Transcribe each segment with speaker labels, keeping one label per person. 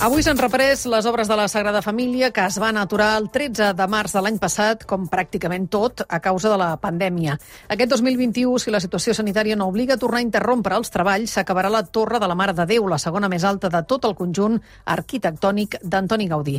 Speaker 1: Avui s'han reprès les obres de la Sagrada Família que es van aturar el 13 de març de l'any passat, com pràcticament tot, a causa de la pandèmia. Aquest 2021, si la situació sanitària no obliga a tornar a interrompre els treballs, s'acabarà la Torre de la Mare de Déu, la segona més alta de tot el conjunt arquitectònic d'Antoni Gaudí.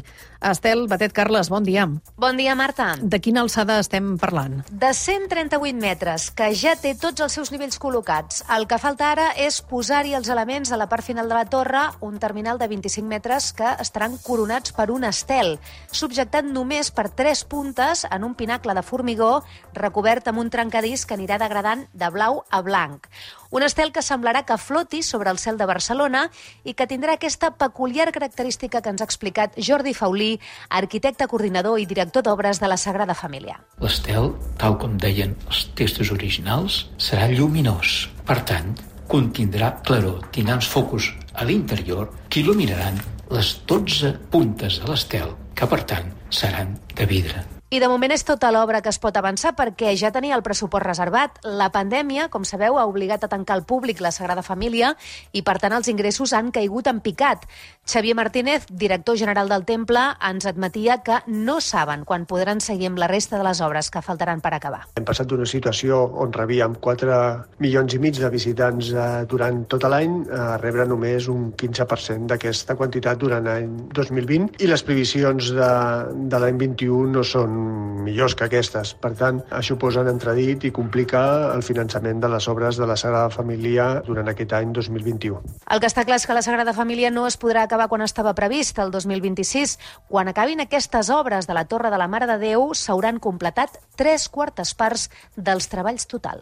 Speaker 1: Estel Batet Carles, bon dia.
Speaker 2: Bon dia, Marta.
Speaker 1: De quina alçada estem parlant?
Speaker 2: De 138 metres, que ja té tots els seus nivells col·locats. El que falta ara és posar-hi els elements a la part final de la torre, un terminal de 25 metres que estaran coronats per un estel, subjectat només per 3 puntes en un pinacle de formigó recobert amb un trencadís que anirà degradant de blau a blanc. Un estel que semblarà que floti sobre el cel de Barcelona i que tindrà aquesta peculiar característica que ens ha explicat Jordi Faulí, arquitecte coordinador i director d'obres de la Sagrada Família.
Speaker 3: L'estel, tal com deien els textos originals, serà lluminós. Per tant, contindrà claror, tindrà uns focus a l'interior que il·luminaran les 12 puntes de l'estel, que per tant seran de vidre.
Speaker 2: I de moment és tota l'obra que es pot avançar perquè ja tenia el pressupost reservat. La pandèmia, com sabeu, ha obligat a tancar al públic la Sagrada Família i, per tant, els ingressos han caigut en picat. Xavier Martínez, director general del temple, ens admetia que no saben quan podran seguir amb la resta de les obres que faltaran per acabar.
Speaker 4: Hem passat d'una situació on rebíem 4,5 milions de visitants durant tot l'any a rebre només un 15% d'aquesta quantitat durant l'any 2020 i les previsions de l'any 21 no són millors que aquestes. Per tant, això posa en entredit i complica el finançament de les obres de la Sagrada Família durant aquest any 2021.
Speaker 2: El que està clar és que la Sagrada Família no es podrà acabar quan estava previst, el 2026. Quan acabin aquestes obres de la Torre de la Mare de Déu, s'hauran completat 3/4 parts dels treballs total.